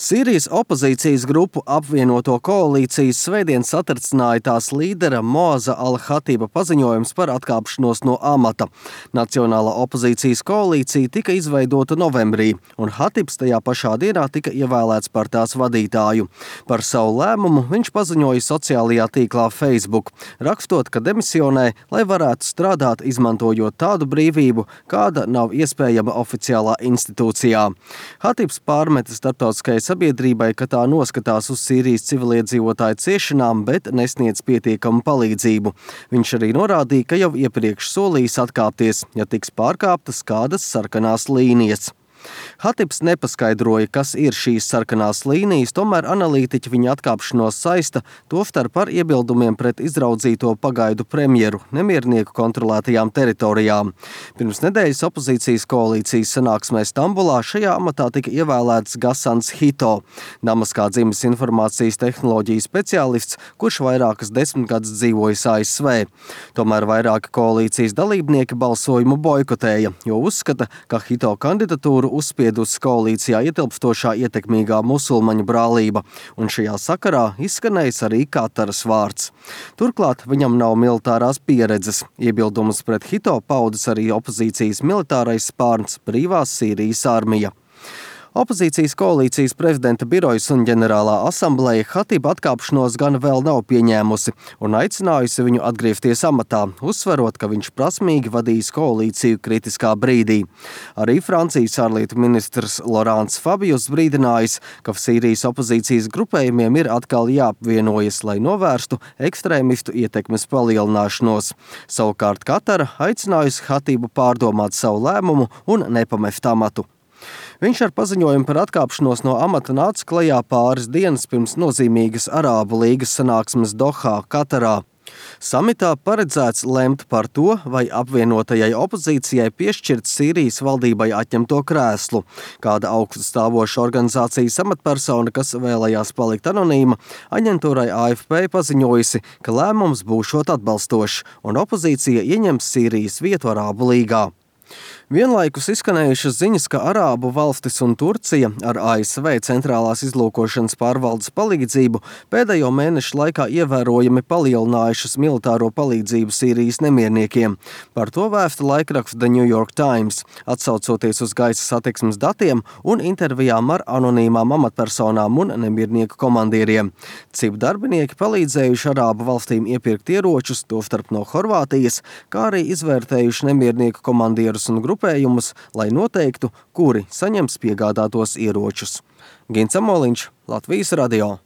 Sīrijas opozīcijas grupu apvienoto koalīcijas svētdien satricināja tās līdera Moaza al-Hatiba paziņojums par atkāpšanos no amata. Nacionālā opozīcijas koalīcija tika izveidota novembrī, un Hatibs tajā pašā dienā tika ievēlēts par tās vadītāju. Par savu lēmumu viņš paziņoja sociālajā tīklā Facebook, rakstot, ka demisionē, lai varētu strādāt, izmantojot tādu brīvību, kāda nav iespējama oficiālā institūcijā. Hatibs pārmeta starptautiskai sabiedrībai, ka tā noskatās uz Sīrijas civiliedzīvotāju ciešanām, bet nesniedz pietiekamu palīdzību. Viņš arī norādīja, ka jau iepriekš solījis atkāpties, ja tiks pārkāptas kādas sarkanās līnijas. Hatibs nepaskaidroja, kas ir šīs sarkanās līnijas, tomēr analītiķi viņa atkāpšanos saista tostarp ar iebildumiem pret izraudzīto pagaidu premjeru nemiernieku kontrolētajām teritorijām. Pirms nedēļas opozīcijas koalīcijas sanāksmē Stambulā šajā amatā tika ievēlēts Gasans Hito, Damaskā dzimis informācijas tehnoloģiju speciālists, kurš vairākas desmitgadus dzīvojis ASV. Tomēr vairāki koalīcijas dalībnieki balsojumu boikotēja, jo uzskata, ka Hito kandidatūru uzspiedusi koalīcijā ietilpstošā ietekmīgā musulmaņu brālība, un šajā sakarā izskanējis arī Kataras vārds. Turklāt viņam nav militārās pieredzes. Iebildumus pret Hito paudis arī opozīcijas militārais spārns Brīvās Sīrijas armija. Opozīcijas koalīcijas prezidenta birojas un ģenerālā asambleja Hatiba atkāpšanos gan vēl nav pieņēmusi un aicinājusi viņu atgriezties amatā, uzsverot, ka viņš prasmīgi vadīs koalīciju kritiskā brīdī. Arī Francijas ārlietu ministrs Laurents Fabius brīdinājis, ka Sīrijas opozīcijas grupējumiem ir atkal jāapvienojas, lai novērstu ekstrēmistu ietekmes palielināšanos. Savukārt Katara aicinājusi Hatibu pārdomāt savu lēmumu un nepamest amatu. Viņš ar paziņojumu par atkāpšanos no amata nāca klajā pāris dienas pirms nozīmīgas Arābu līgas sanāksmes Dohā, Katarā. Samitā paredzēts lemt par to, vai apvienotajai opozīcijai piešķirt Sīrijas valdībai atņemto krēslu. Kāda augststāvoša organizācijas amatpersona, kas vēlējās palikt anonīma, aģentūrai AFP paziņojusi, ka lēmums būšot atbalstošs un opozīcija ieņems Sīrijas vietu Arābu līgā. Vienlaikus izskanējušas ziņas, ka Arābu valstis un Turcija ar ASV centrālās izlūkošanas pārvaldes palīdzību pēdējo mēnešu laikā ievērojami palielinājušas militāro palīdzību Sīrijas nemierniekiem. Par to vēsta laikraksts The New York Times, atsaucoties uz gaisa satiksmes datiem un intervijām ar anonīmām amatpersonām un nemiernieku komandieriem. CIP darbinieki palīdzējuši Arābu valstīm iepirkt ieročus, tostarp no Horvātijas, kā arī izvērtējuši nemiernieku komandierus un grupējumus, lai noteiktu, kuri saņems piegādātos ieročus. Gins Amoliņš, Latvijas radio.